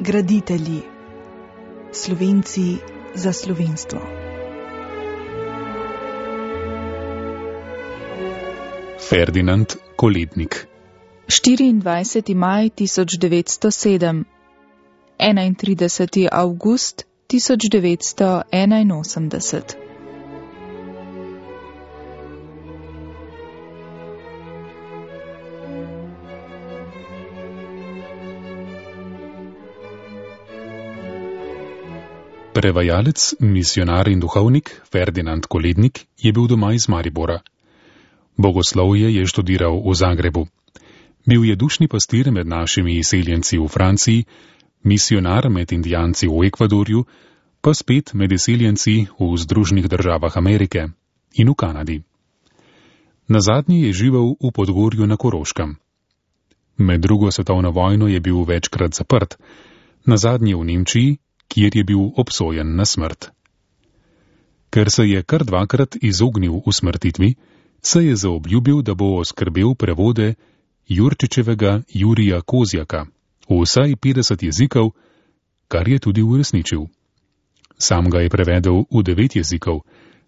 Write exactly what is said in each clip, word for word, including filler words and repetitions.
graditelji, Slovenci za slovenstvo. Ferdinand Kolednik. štiriindvajseti maj tisoč devetsto sedem, enaintrideseti avgust tisoč devetsto enainosemdeset. Prevajalec, misionar in duhovnik Ferdinand Kolednik je bil doma iz Maribora. Bogoslovje je študiral v Zagrebu. Bil je dušni pastir med našimi izseljenci v Franciji, misionar med Indijanci v Ekvadorju, pa spet med izseljenci v Združenih državah Amerike in v Kanadi. Nazadnje je živel v Podgorju na Koroškem. Med drugo svetovno vojno je bil večkrat zaprt, nazadnje v Nemčiji, kjer je bil obsojen na smrt. Ker se je kar dvakrat izognil usmrtitvi, se je zaobljubil, da bo oskrbel prevode Jurčičevega Jurija Kozjaka v vsaj petdeset jezikov, kar je tudi uresničil. Sam ga je prevedel v devet jezikov,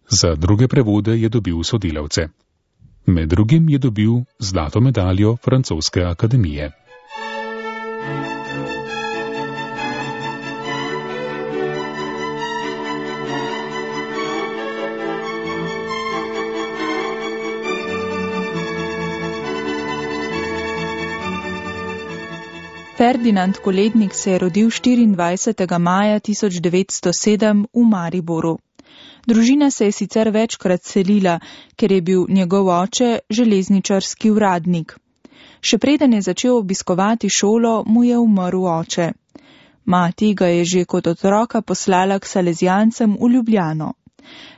za druge prevode je dobil sodelavce. Med drugim je dobil zlato medaljo Francoske akademije. Ferdinand Kolednik se je rodil štiriindvajsetega maja tisoč devetsto sedem v Mariboru. Družina se je sicer večkrat selila, ker je bil njegov oče železničarski uradnik. Še preden je začel obiskovati šolo, mu je umrl oče. Mati ga je že kot otroka poslala k salezijancem v Ljubljano.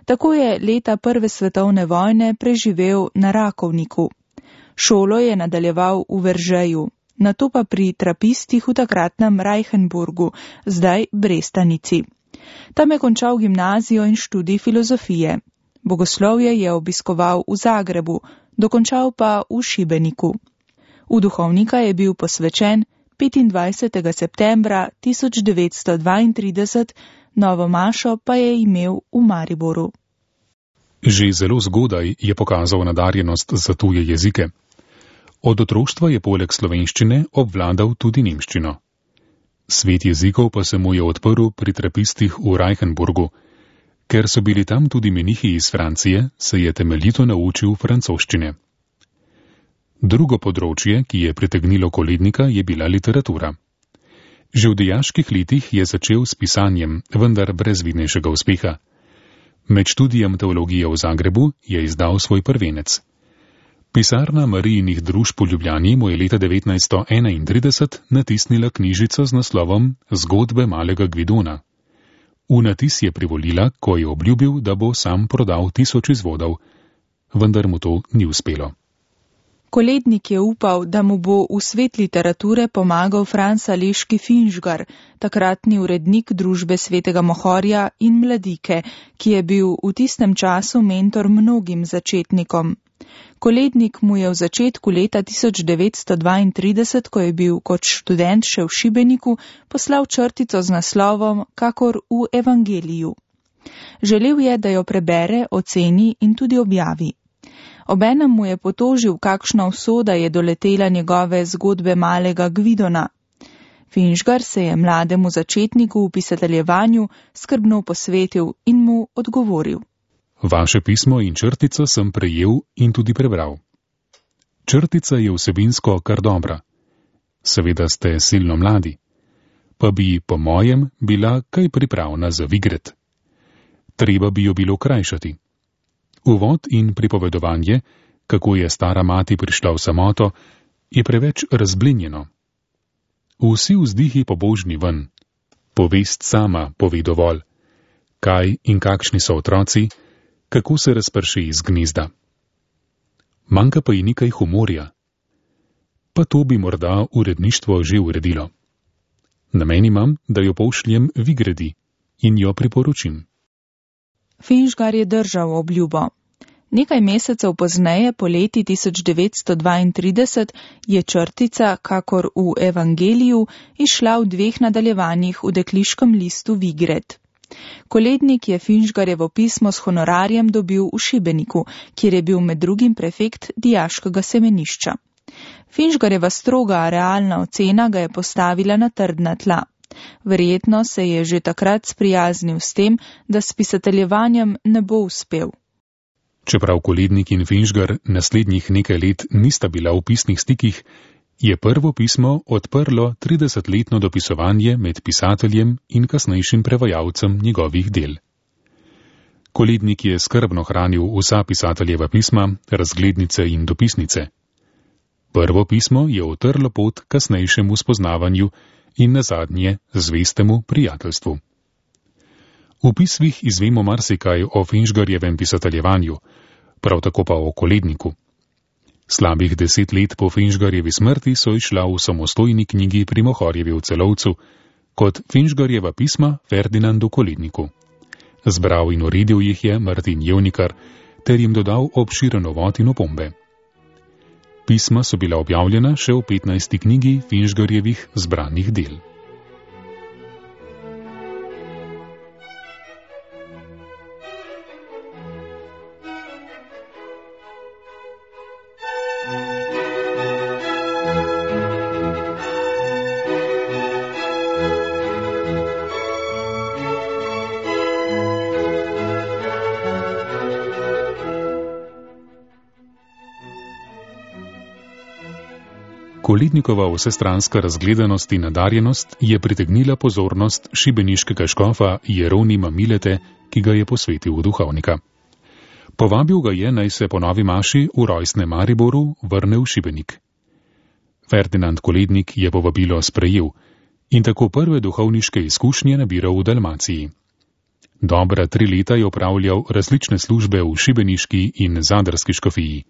Tako je leta prve svetovne vojne preživel na Rakovniku. Šolo je nadaljeval v Veržeju. Nato pa pri trapistih v takratnem Reichenburgu, zdaj Brestanici. Tam je končal gimnazijo in študij filozofije. Bogoslovje je obiskoval v Zagrebu, dokončal pa v Šibeniku. V duhovnika je bil posvečen petindvajsetega septembra tisoč devetsto dvaintrideset, novo mašo pa je imel v Mariboru. Že zelo zgodaj je pokazal nadarjenost za tuje jezike. Od otroštva je poleg slovenščine obvladal tudi nemščino. Svet jezikov pa se mu je odprl pri trapistih v Reichenburgu. Ker so bili tam tudi menihi iz Francije, se je temeljito naučil francoščine. Drugo področje, ki je pritegnilo Kolednika, je bila literatura. Že v dijaških letih je začel s pisanjem, vendar brez vidnejšega uspeha. Med študijem teologije v Zagrebu je izdal svoj prvenec. Pisarna Marijinih družb v Ljubljani mu je leta devetnajststo enaintrideset natisnila knjižico z naslovom Zgodbe malega Gvidona. V natis je privolila, ko je obljubil, da bo sam prodal tisoč izvodov, vendar mu to ni uspelo. Kolednik je upal, da mu bo v svet literature pomagal Franc Aleški Finžgar, takratni urednik družbe Svetega Mohorja in Mladike, ki je bil v tistem času mentor mnogim začetnikom. Kolednik mu je v začetku leta tisoč devetsto dvaintrideset, ko je bil kot študent še v Šibeniku, poslal črtico z naslovom Kakor v Evangeliju. Želel je, da jo prebere, oceni in tudi objavi. Obenem mu je potožil, kakšna usoda je doletela njegove zgodbe malega Gvidona. Finžgar se je mlademu začetniku v pisateljevanju skrbno posvetil in mu odgovoril. Vaše pismo in črtico sem prejel in tudi prebral. Črtica je vsebinsko kar dobra. Seveda ste silno mladi, pa bi, po mojem, bila kaj pripravna za Vigret. Treba bi jo bilo krajšati. Uvod in pripovedovanje, kako je stara mati prišla v samoto, je preveč razblinjeno. Vsi vzdihi pobožni ven. Povest sama pove dovolj. Kaj in kakšni so otroci, kako se razprši iz gnezda. Manjka pa ji nekaj humorja. Pa to bi morda uredništvo že uredilo. Namen imam, da jo pošljem Vigredi in jo priporočim. Finžgar je držal obljubo. Nekaj mesecev pozneje, poleti tisoč devetsto dvaintrideset, je črtica, kakor v Evangeliju, izšla v dveh nadaljevanjih v dekliškem listu Vigred. Kolednik je Finžgarjevo pismo s honorarjem dobil v Šibeniku, kjer je bil med drugim prefekt dijaškega semenišča. Finžgarjeva stroga realna ocena ga je postavila na trdna tla. Verjetno se je že takrat sprijaznil s tem, da s pisateljevanjem ne bo uspel. Čeprav Kolednik in Finžgar naslednjih nekaj let nista bila v pisnih stikih, je prvo pismo odprlo tridesetletno dopisovanje med pisateljem in kasnejšim prevajalcem njegovih del. Kolednik je skrbno hranil vsa pisateljeva pisma, razglednice in dopisnice. Prvo pismo je utrlo pot kasnejšemu spoznavanju in nazadnje zvestemu prijateljstvu. V pismih izvemo marsikaj o Finžgarjevem pisateljevanju, prav tako pa o Koledniku. Slabih deset let po Finžgarjevi smrti so izšla v samostojni knjigi pri Mohorjevi v Celovcu kot Finžgarjeva pisma Ferdinandu Koledniku. Zbral in uredil jih je Martin Jevnikar ter jim dodal obširen uvod in opombe. Pisma so bila objavljena še v petnajsti knjigi Finžgarjevih zbranih del. Kolednikova vsestranska razgledanost in nadarjenost je pritegnila pozornost šibeniškega škofa Jeronima Milete, ki ga je posvetil v duhovnika. Povabil ga je, naj se po novi maši v rojstnem Mariboru vrne v Šibenik. Ferdinand Kolednik je povabilo sprejel in tako prve duhovniške izkušnje nabiral v Dalmaciji. Dobra tri leta je opravljal različne službe v šibeniški in zadarski škofiji.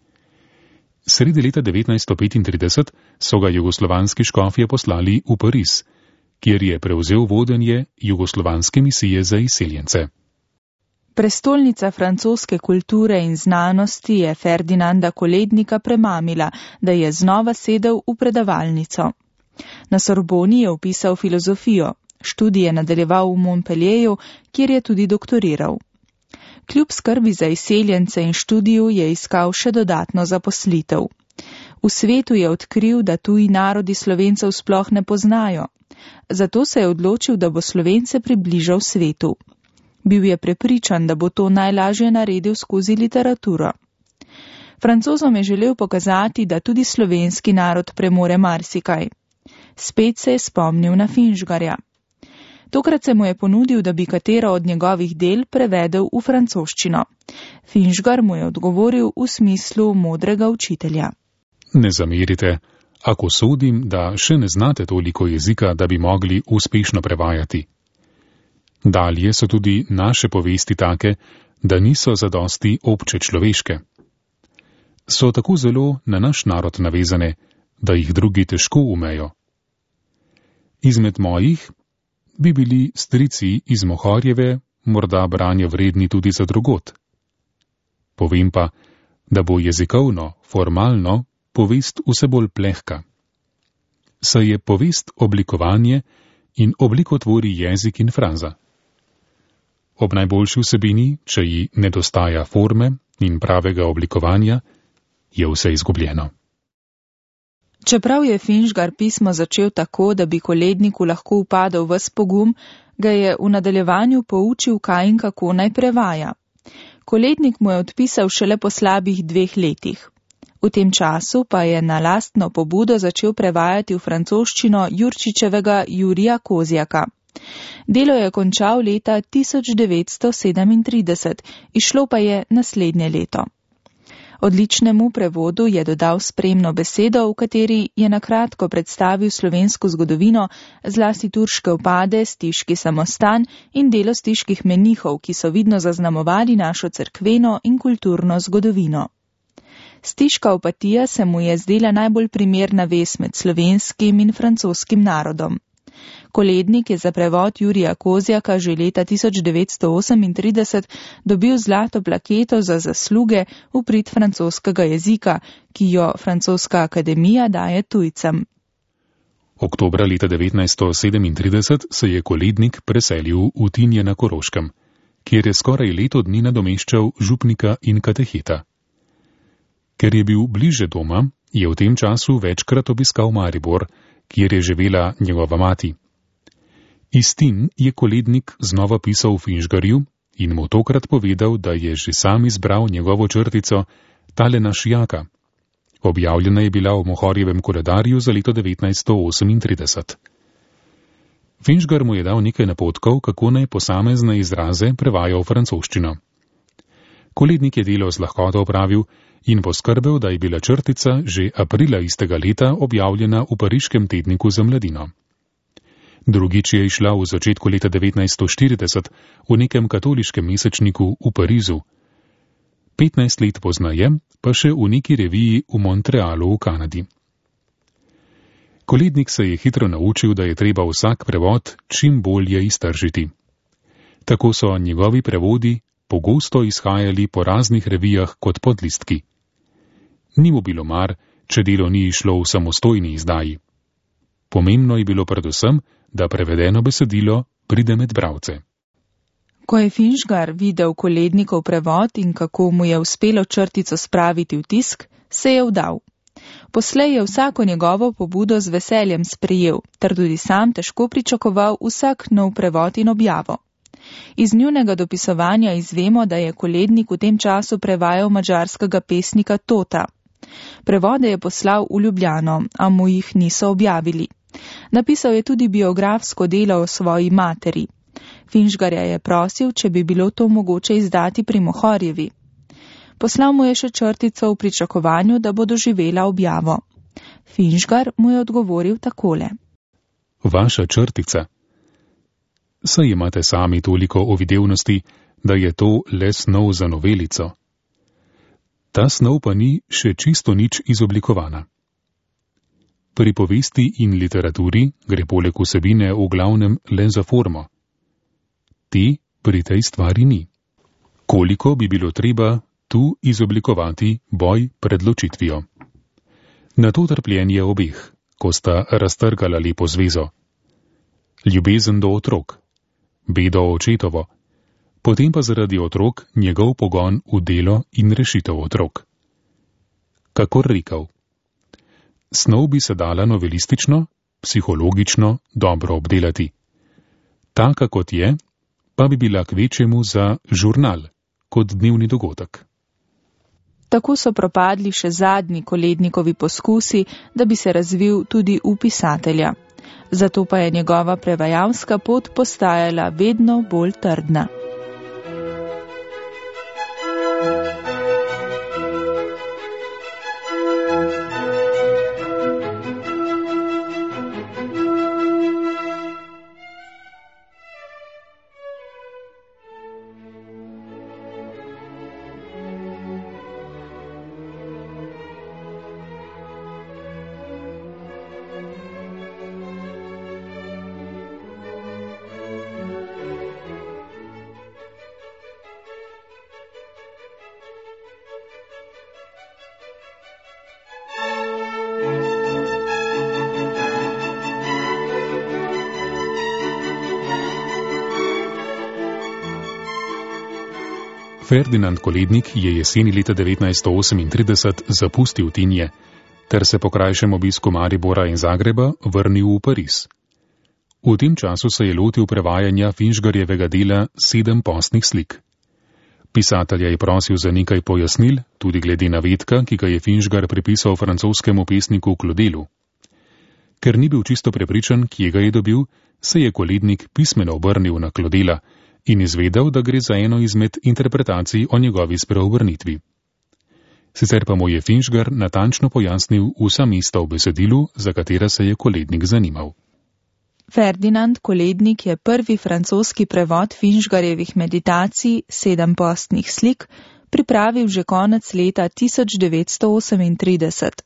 Sredi leta devetnajststo petintrideset so ga jugoslovanski škofje poslali v Pariz, kjer je prevzel vodenje jugoslovanske misije za izseljence. Prestolnica francoske kulture in znanosti je Ferdinanda Kolednika premamila, da je znova sedel v predavalnico. Na Sorboni je vpisal filozofijo, študije nadaljeval v Montpellieru, kjer je tudi doktoriral. Kljub skrbi za izseljence in študiju je iskal še dodatno zaposlitev. V svetu je odkril, da tuji narodi Slovencev sploh ne poznajo. Zato se je odločil, da bo Slovence približal svetu. Bil je prepričan, da bo to najlažje naredil skozi literaturo. Francozom je želel pokazati, da tudi slovenski narod premore marsikaj. Spet se je spomnil na Finžgarja. Tokrat se mu je ponudil, da bi katero od njegovih del prevedel v francoščino. Finžgar mu je odgovoril v smislu modrega učitelja. Ne zamerite, ako sodim, da še ne znate toliko jezika, da bi mogli uspešno prevajati. Dalje so tudi naše povesti take, da niso zadosti obče človeške. So tako zelo na naš narod navezane, da jih drugi težko umejo. Izmed mojih bi bili strici iz Mohorjeve morda branja vredni tudi za drugot. Povem pa, da bo jezikovno, formalno, povest vse bolj plehka. Saj je povest oblikovanje in obliko tvori jezik in fraza. Ob najboljši vsebini, če ji nedostaja forme in pravega oblikovanja, je vse izgubljeno. Čeprav je Finžgar pismo začel tako, da bi Koledniku lahko upadel ves pogum, ga je v nadaljevanju poučil, kaj in kako naj prevaja. Kolednik mu je odpisal šele po slabih dveh letih. V tem času pa je na lastno pobudo začel prevajati v francoščino Jurčičevega Jurija Kozjaka. Delo je končal leta tisoč devetsto sedemintrideset, izšlo pa je naslednje leto. Odličnemu prevodu je dodal spremno besedo, v kateri je nakratko predstavil slovensko zgodovino, zlasti turške upade, stiški samostan in delo stiških menihov, ki so vidno zaznamovali našo cerkveno in kulturno zgodovino. Stiška opatija se mu je zdela najbolj primerna vez med slovenskim in francoskim narodom. Kolednik je za prevod Jurija Kozjaka že leta tisoč devetsto osemintrideset dobil zlato plaketo za zasluge v prid francoskega jezika, ki jo Francoska akademija daje tujcem. Oktobra leta devetnajststo sedemintrideset se je Kolednik preselil v Tinje na Koroškem, kjer je skoraj leto dni nadomeščal župnika in kateheta. Ker je bil bliže doma, je v tem času večkrat obiskal Maribor, kjer je živela njegova mati. Iz Tin je Kolednik znova pisal Finžgarju in mu tokrat povedal, da je že sam izbral njegovo črtico Tale naš jaka. Objavljena je bila v Mohorjevem koledarju za leto devetnajststo osemintrideset. Finžgar mu je dal nekaj napotkov, kako naj posamezne izraze prevaja v francoščino. Kolednik je delo z lahkoto opravil in poskrbel, da je bila črtica že aprila istega leta objavljena v pariškem tedniku za mladino. Drugič je išla v začetku leta devetnajststo štirideset v nekem katoliškem mesečniku v Parizu. petnajst let poznaje pa še v neki reviji v Montrealu v Kanadi. Kolednik se je hitro naučil, da je treba vsak prevod čim bolje iztržiti. Tako so njegovi prevodi pogosto izhajali po raznih revijah kot podlistki. Ni mu bilo mar, če delo ni išlo v samostojni izdaji. Pomembno je bilo predvsem, da prevedeno besedilo pride med bralce. Ko je Finžgar videl Kolednikov prevod in kako mu je uspelo črtico spraviti v tisk, se je vdal. Poslej je vsako njegovo pobudo z veseljem sprejel, ter tudi sam težko pričakoval vsak nov prevod in objavo. Iz njunega dopisovanja izvemo, da je Kolednik v tem času prevajal madžarskega pesnika Tota. Prevode je poslal v Ljubljano, a mu jih niso objavili. Napisal je tudi biografsko delo o svoji materi. Finžgarja je prosil, če bi bilo to mogoče izdati pri Mohorjevi. Poslal mu je še črtico v pričakovanju, da bo doživela objavo. Finžgar mu je odgovoril takole. Vaša črtica. Saj imate sami toliko ovidevnosti, da je to le snov za novelico. Ta snov pa ni še čisto nič izoblikovana. Pri povesti in literaturi gre poleg vsebine v glavnem le za formo. Te pri tej stvari ni. Koliko bi bilo treba tu izoblikovati boj pred ločitvijo? Na to trpljenje obeh, ko sta raztrgala lepo zvezo. Ljubezen do otrok, bedo očetovo, potem pa zaradi otrok njegov pogon v delo in rešitev otrok. Kakor rekel, snov bi se dala novelistično, psihologično dobro obdelati. Taka kot je, pa bi bila kvečjemu za žurnal, kot dnevni dogodek. Tako so propadli še zadnji Kolednikovi poskusi, da bi se razvil tudi v pisatelja. Zato pa je njegova prevajalska pot postajala vedno bolj trdna. Ferdinand Kolednik je jeseni leta devetnajststo osemintrideset zapustil Tinje, ter se po krajšem obisku Maribora in Zagreba vrnil v Pariz. V tem času se je lotil prevajanja Finžgarjevega dela Sedem postnih slik. Pisatelja je prosil za nekaj pojasnil, tudi glede navedka, ki ga je Finžgar pripisal francoskemu pesniku Klodelu. Ker ni bil čisto prepričan, kje ga je dobil, se je Kolednik pismeno obrnil na Klodela in izvedel, da gre za eno izmed interpretacij o njegovi spreobrnitvi. Sicer pa mu je Finžgar natančno pojasnil vsa mesta v besedilu, za katera se je Kolednik zanimal. Ferdinand Kolednik je prvi francoski prevod Finžgarjevih meditacij Sedem postnih slik pripravil že konec leta tisoč devetsto osemintrideset.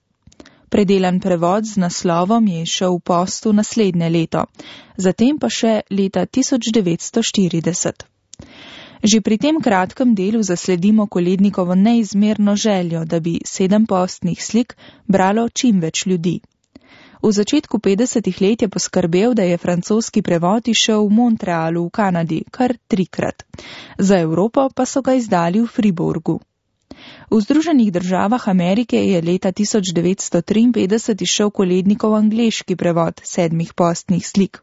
Predelan prevod z naslovom je izšel v postu naslednje leto, zatem pa še leta tisoč devetsto štirideset. Že pri tem kratkem delu zasledimo Kolednikovo neizmerno željo, da bi sedem postnih slik bralo čim več ljudi. V začetku petdesetih let je poskrbel, da je francoski prevod izšel v Montrealu v Kanadi kar trikrat. Za Evropo pa so ga izdali v Friburgu. V Združenih državah Amerike je leta tisoč devetsto triinpetdeset išel Kolednikov angleški prevod sedmih postnih slik.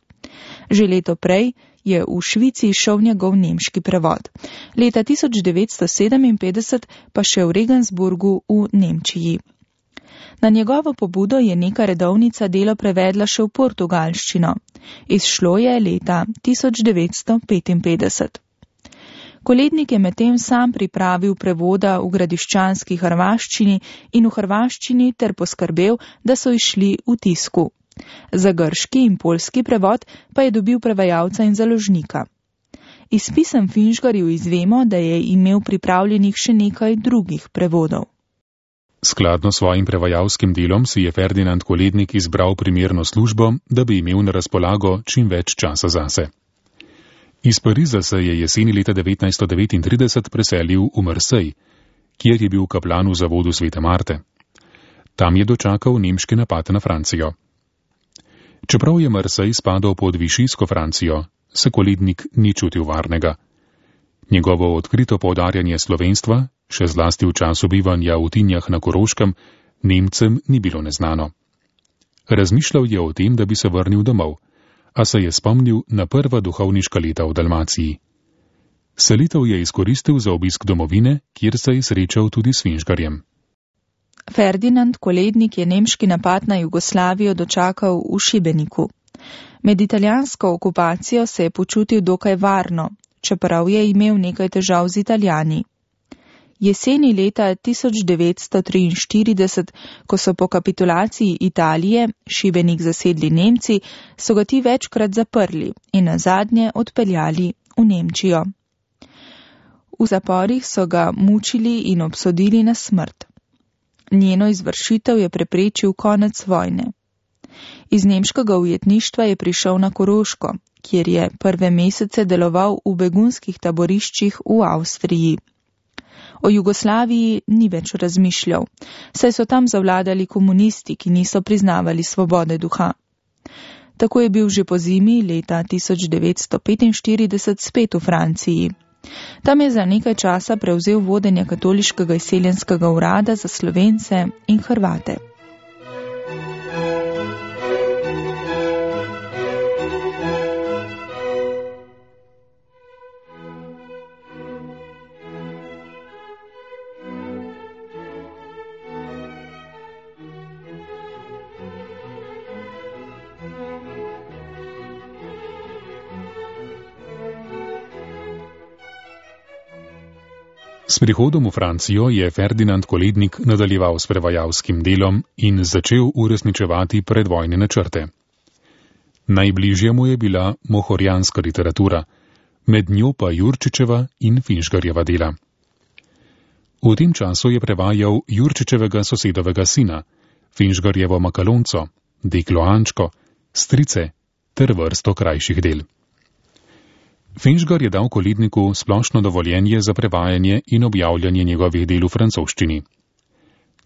Že leto prej je v Švici išel njegov nemški prevod. Leta tisoč devetsto sedeminpetdeset pa še v Regensburgu v Nemčiji. Na njegovo pobudo je neka redovnica delo prevedla še v portugalščino. Izšlo je leta tisoč devetsto petinpetdeset. Kolednik je medtem sam pripravil prevoda v gradiščanski hrvaščini in v hrvaščini ter poskrbel, da so išli v tisku. Za grški in poljski prevod pa je dobil prevajalca in založnika. Iz pisem Finžgarju izvemo, da je imel pripravljenih še nekaj drugih prevodov. Skladno s svojim prevajalskim delom si je Ferdinand Kolednik izbral primerno službo, da bi imel na razpolago čim več časa zase. Iz Pariza se je jeseni leta devetnajststo devetintrideset preselil v Marseille, kjer je bil kaplan v zavodu Svete Marte. Tam je dočakal nemški napad na Francijo. Čeprav je Marseille spadal pod višijsko Francijo, se Kolednik ni čutil varnega. Njegovo odkrito poudarjanje slovenstva, še zlasti v času bivanja v Tinjah na Koroškem, Nemcem ni bilo neznano. Razmišljal je o tem, da bi se vrnil domov, a se je spomnil na prva duhovniška leta v Dalmaciji. Selitev je izkoristil za obisk domovine, kjer se je srečal tudi s Finžgarjem. Ferdinand Kolednik je nemški napad na Jugoslavijo dočakal v Šibeniku. Med italijansko okupacijo se je počutil dokaj varno, čeprav je imel nekaj težav z Italijani. Jeseni leta tisoč devetsto triinštirideset, ko so po kapitulaciji Italije Šibenik zasedli Nemci, so ga ti večkrat zaprli in nazadnje odpeljali v Nemčijo. V zaporih so ga mučili in obsodili na smrt. Njeno izvršitev je preprečil konec vojne. Iz nemškega ujetništva je prišel na Koroško, kjer je prve mesece deloval v begunskih taboriščih v Avstriji. O Jugoslaviji ni več razmišljal, saj so tam zavladali komunisti, ki niso priznavali svobode duha. Tako je bil že po zimi leta tisoč devetsto petinštirideset spet v Franciji. Tam je za nekaj časa prevzel vodenje katoliškega izseljenskega urada za Slovence in Hrvate. S prihodom v Francijo je Ferdinand Kolednik nadaljeval s prevajalskim delom in začel uresničevati predvojne načrte. Najbližja mu je bila mohorjanska literatura, med njo pa Jurčičeva in Finžgarjeva dela. V tem času je prevajal Jurčičevega sosedovega sina, Finžgarjevo Makalonco, Deklo Ančko, Strice ter vrsto krajših del. Finžgar je dal Koledniku splošno dovoljenje za prevajanje in objavljanje njegovih del v francoščini.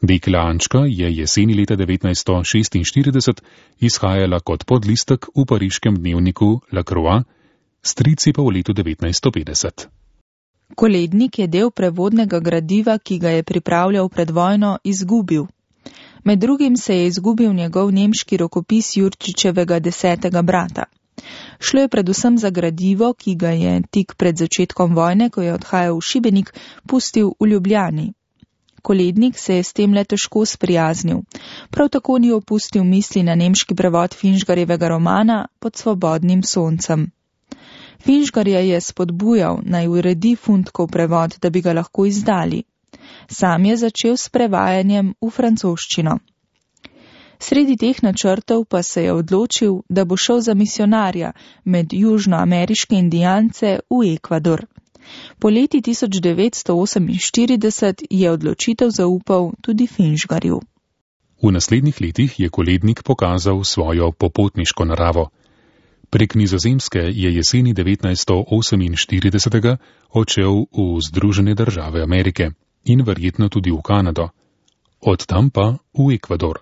Dekla Ančka je jeseni leta devetnajststo šestinštirideset izhajala kot podlistek v pariškem dnevniku La Croix, Strici pa v letu devetnajststo petdeset. Kolednik je del prevodnega gradiva, ki ga je pripravljal pred vojno, izgubil. Med drugim se je izgubil njegov nemški rokopis Jurčičevega desetega brata. Šlo je predvsem za gradivo, ki ga je tik pred začetkom vojne, ko je odhajal v Šibenik, pustil v Ljubljani. Kolednik se je s tem le težko sprijaznil. Prav tako ni opustil misli na nemški prevod Finžgarjevega romana Pod svobodnim soncem. Finžgarja je spodbujal, naj uredi Fundkov prevod, da bi ga lahko izdali. Sam je začel s prevajanjem v francoščino. Sredi teh načrtov pa se je odločil, da bo šel za misionarja med južnoameriške indijance v Ekvador. Po leti tisoč devetsto oseminštirideset je odločitev zaupal tudi Finžgarju. V naslednjih letih je Kolednik pokazal svojo popotniško naravo. Prek Nizozemske je jeseni devetnajststo oseminštiridesetega odšel v Združene države Amerike in verjetno tudi v Kanado, od tam pa v Ekvador.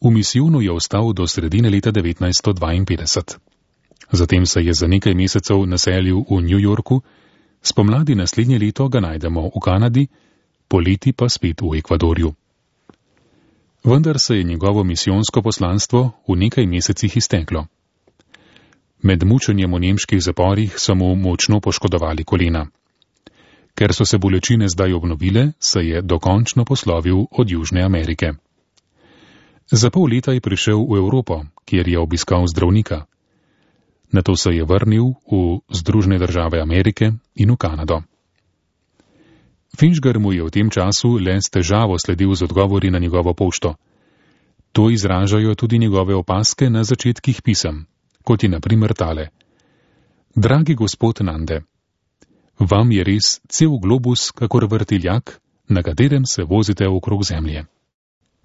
V misijonu je ostal do sredine leta devetnajststo dvainpetdeset. Zatem se je za nekaj mesecev naselil v New Yorku, spomladi naslednje leto ga najdemo v Kanadi, poleti pa spet v Ekvadorju. Vendar se je njegovo misijonsko poslanstvo v nekaj mesecih izteklo. Med mučenjem v nemških zaporih so mu močno poškodovali kolena. Ker so se bolečine zdaj obnovile, se je dokončno poslovil od Južne Amerike. Za pol leta je prišel v Evropo, kjer je obiskal zdravnika. Nato se je vrnil v Združene države Amerike in v Kanado. Finžgar mu je v tem času le s težavo sledil z odgovori na njegovo pošto. To izražajo tudi njegove opaske na začetkih pisem, kot je na primer tale. Dragi gospod Nande, vam je res cel globus kakor vrtiljak, na katerem se vozite okrog zemlje.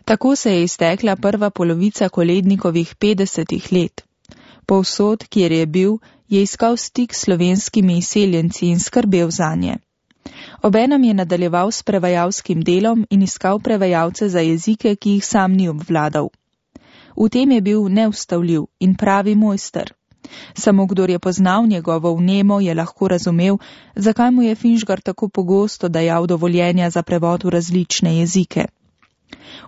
Tako se je iztekla prva polovica Kolednikovih petdesetih let. Povsod, kjer je bil, je iskal stik s slovenskimi izseljenci in skrbel zanje. Obenem je nadaljeval s prevajalskim delom in iskal prevajalce za jezike, ki jih sam ni obvladal. V tem je bil neustavljiv in pravi mojster. Samo kdor je poznal njegovo vnemo, je lahko razumel, zakaj mu je Finžgar tako pogosto dajal dovoljenja za prevod v različne jezike.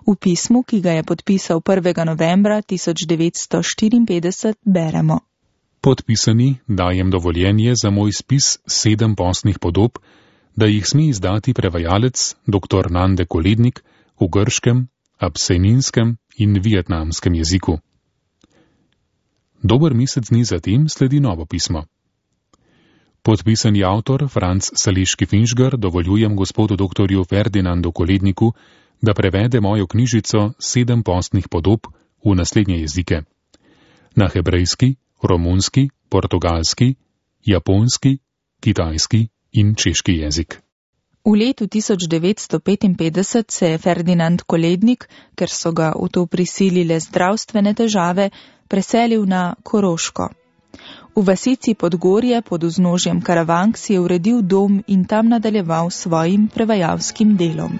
V pismu, ki ga je podpisal prvega novembra tisoč devetsto štiriinpetdeset, beremo. Podpisani dajem dovoljenje za moj spis sedem postnih podob, da jih sme izdati prevajalec dr. Nande Kolednik v grškem, abseninskem in vietnamskem jeziku. Dober mesec dni zatem sledi novo pismo. Podpisani avtor Franc Saleški Finžgar dovoljujem gospodu doktorju Ferdinandu Koledniku, da prevede mojo knjižico Sedem postnih podob v naslednje jezike. Na hebrejski, romunski, portugalski, japonski, kitajski in češki jezik. V letu tisoč devetsto petinpetdeset se je Ferdinand Kolednik, ker so ga v to prisilile zdravstvene težave, preselil na Koroško. V vasici Podgorje pod vznožjem Karavank si je uredil dom in tam nadaljeval svojim prevajalskim delom.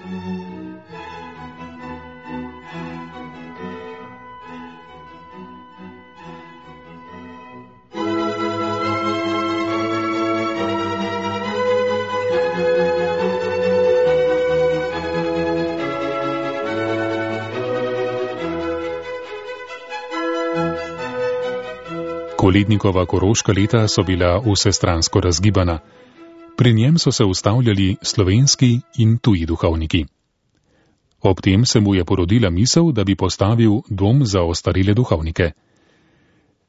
Kolednikova koroška leta so bila vsestransko razgibana. Pri njem so se ustavljali slovenski in tuji duhovniki. Ob tem se mu je porodila misel, da bi postavil dom za ostarele duhovnike.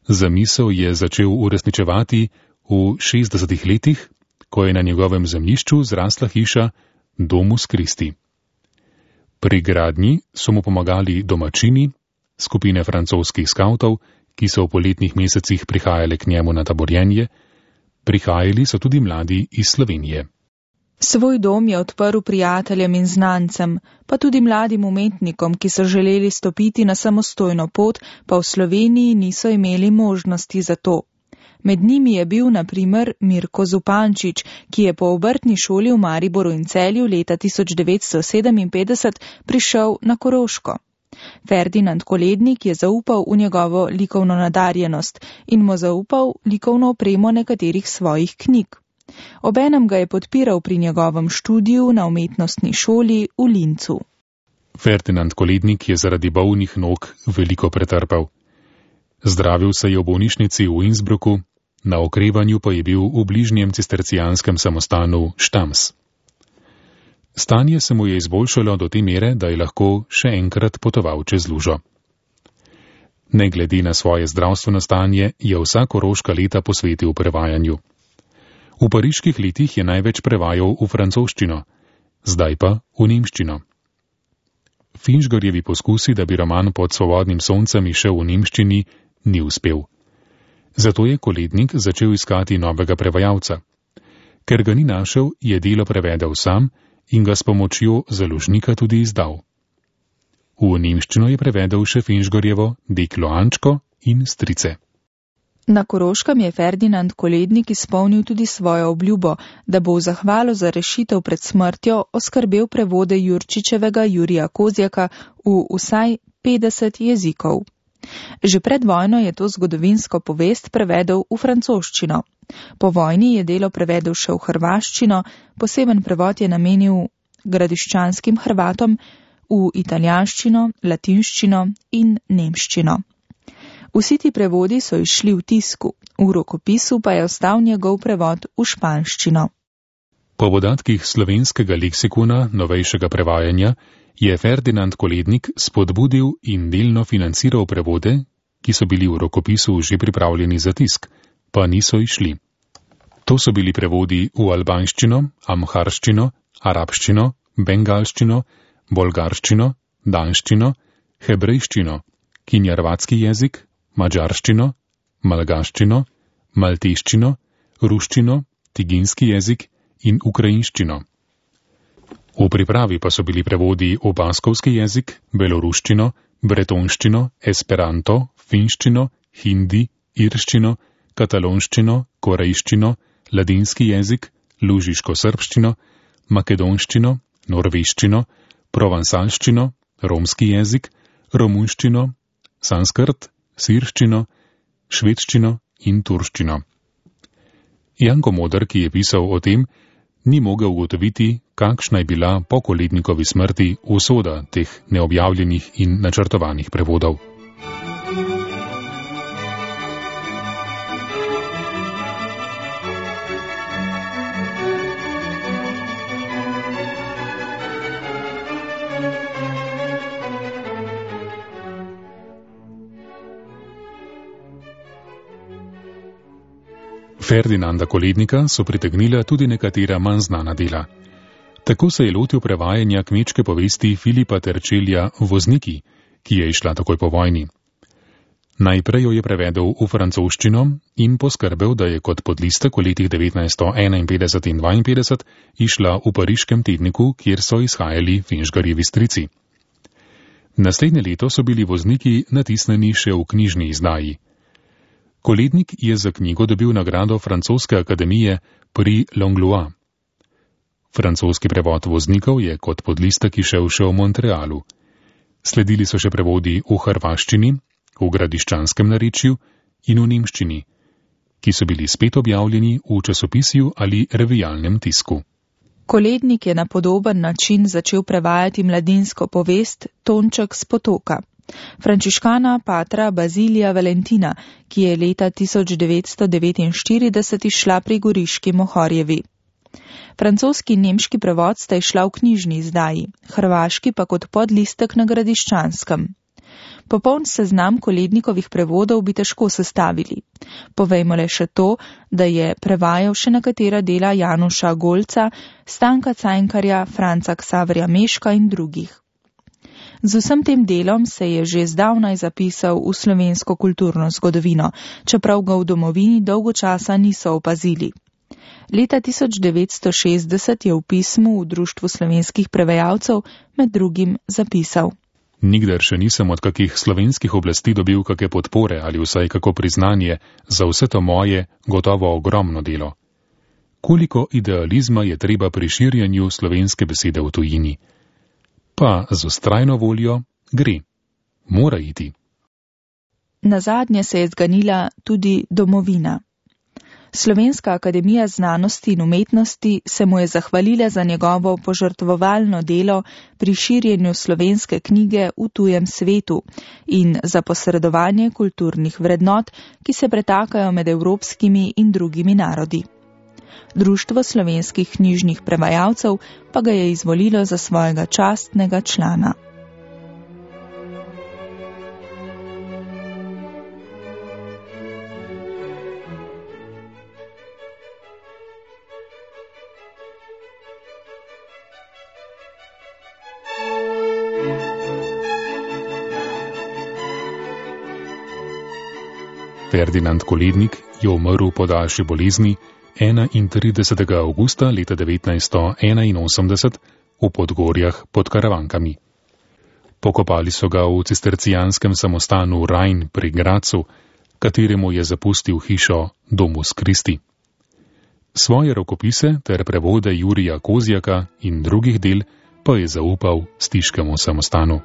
Zamisel je začel uresničevati v šestdesetih letih, ko je na njegovem zemljišču zrasla hiša Domus Christi. Pri gradnji so mu pomagali domačini, skupine francoskih skavtov, ki so v poletnih mesecih prihajali k njemu na taborjenje, prihajali so tudi mladi iz Slovenije. Svoj dom je odprl prijateljem in znancem, pa tudi mladim umetnikom, ki so želeli stopiti na samostojno pot, pa v Sloveniji niso imeli možnosti za to. Med njimi je bil na primer Mirko Zupančič, ki je po obrtni šoli v Mariboru in Celju leta tisoč devetsto sedeminpetdeset prišel na Koroško. Ferdinand Kolednik je zaupal v njegovo likovno nadarjenost in mu zaupal likovno opremo nekaterih svojih knjig. Obenem ga je podpiral pri njegovem študiju na umetnostni šoli v Lincu. Ferdinand Kolednik je zaradi bolnih nog veliko pretrpel. Zdravil se je v bolnišnici v Innsbrucku, na okrevanju pa je bil v bližnjem cistercijanskem samostanu Štams. Stanje se mu je izboljšalo do te mere, da je lahko še enkrat potoval čez lužo. Ne glede na svoje zdravstveno stanje, je vsa koroška leta posvetil prevajanju. V pariških letih je največ prevajal v francoščino, zdaj pa v nemščino. Finžgarjevi poskusi, da bi roman Pod svobodnim soncem izšel v nemščini, ni uspel. Zato je Kolednik začel iskati novega prevajalca. Ker ga ni našel, je delo prevedel sam in ga s pomočjo založnika tudi izdal. V nemščino je prevedel še Finžgorjevo Deklo Ančko in Strice. Na Koroškem je Ferdinand Kolednik izpolnil tudi svojo obljubo, da bo v zahvalo za rešitev pred smrtjo oskrbel prevode Jurčičevega Jurija Kozjaka v vsaj petdeset jezikov. Že pred vojno je to zgodovinsko povest prevedel v francoščino. Po vojni je delo prevedel še v hrvaščino, poseben prevod je namenil gradiščanskim Hrvatom, v italijanščino, latinščino in nemščino. Vsi ti prevodi so išli v tisku, v rokopisu pa je ostal njegov prevod v španščino. Po podatkih slovenskega leksikona novejšega prevajanja je Ferdinand Kolednik spodbudil in delno financiral prevode, ki so bili v rokopisu že pripravljeni za tisk, pa niso išli. To so bili prevodi v albanščino, amharščino, arabščino, bengalščino, bolgarščino, danščino, hebrejščino, kinjarvatski jezik, mađarščino, malgaščino, malteščino, ruščino, tiginski jezik in ukrajinščino. V pripravi pa so bili prevodi v baskovski jezik, beloruščino, bretonščino, esperanto, finščino, hindi, irščino, katalonščino, korejščino, ladinski jezik, lužiško-srbščino, makedonščino, norveščino, provansalščino, romski jezik, romunščino, sanskrt, sirščino, švedščino in turščino. Janko Moder, ki je pisal o tem, ni mogel ugotoviti, kakšna je bila po Kolednikovi smrti usoda teh neobjavljenih in načrtovanih prevodov. Ferdinanda Kolednika so pritegnila tudi nekatera manj znana dela. Tako se je lotil prevajanja kmečke povesti Filipa Terčelja Vozniki, ki je išla takoj po vojni. Najprej jo je prevedel v francoščino in poskrbel, da je kot podlistek v letih devetnajststo enainpetdeset in dvainpetdeset išla v pariškem tedniku, kjer so izhajali Finžgarjevi strici. Naslednje leto so bili Vozniki natisnjeni še v knjižni izdaji. Kolednik je za knjigo dobil nagrado francoske akademije Prix Langlois. Francoski prevod Voznikov je kot podlistek išel še v Montrealu. Sledili so še prevodi v hrvaščini, v gradiščanskem narečju in v nemščini, ki so bili spet objavljeni v časopisju ali revijalnem tisku. Kolednik je na podoben način začel prevajati mladinsko povest Tonček s potoka. Frančiškana patra Bazilija Valentina, ki je leta tisoč devetsto devetinštirideset išla pri Goriški Mohorjevi. Francoski in nemški prevod sta išla v knjižni izdaji, hrvaški pa kot podlistek na gradiščanskem. Popoln seznam Kolednikovih prevodov bi težko sestavili. Povejmo le še to, da je prevajal še nekatera dela Januša Golca, Stanka Cajnkarja, Franca Ksaverja Meška in drugih. Z vsem tem delom se je že zdavnaj zapisal v slovensko kulturno zgodovino, čeprav ga v domovini dolgo časa niso opazili. Leta tisoč devetsto šestdeset je v pismu v Društvu slovenskih prevajalcev med drugim zapisal: Nikdar še nisem od kakih slovenskih oblasti dobil kake podpore ali vsaj kako priznanje za vse to moje, gotovo ogromno delo. Koliko idealizma je treba pri širjenju slovenske besede v tujini. Pa z vztrajno voljo gre. Mora iti. Nazadnje se je zganila tudi domovina. Slovenska akademija znanosti in umetnosti se mu je zahvalila za njegovo požrtvovalno delo pri širjenju slovenske knjige v tujem svetu in za posredovanje kulturnih vrednot, ki se pretakajo med evropskimi in drugimi narodi. Društvo slovenskih knjižnih prevajalcev pa ga je izvolilo za svojega častnega člana. Ferdinand Kolednik je umrl po daljši bolezni enaintridesetega avgusta leta devetnajststo enainosemdeset v Podgorjah pod Karavankami. Pokopali so ga v cistercijanskem samostanu Rajn pri Gracu, kateremu je zapustil hišo Domus Christi. Svoje rokopise ter prevode Jurija Kozjaka in drugih del pa je zaupal stiškemu samostanu.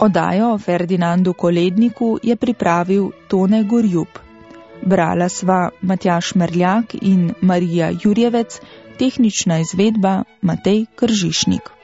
Oddajo o Ferdinandu Koledniku je pripravil Tone Gorjup. Brala sva Matjaž Merljak in Marija Jurjevec, tehnična izvedba Matej Kržišnik.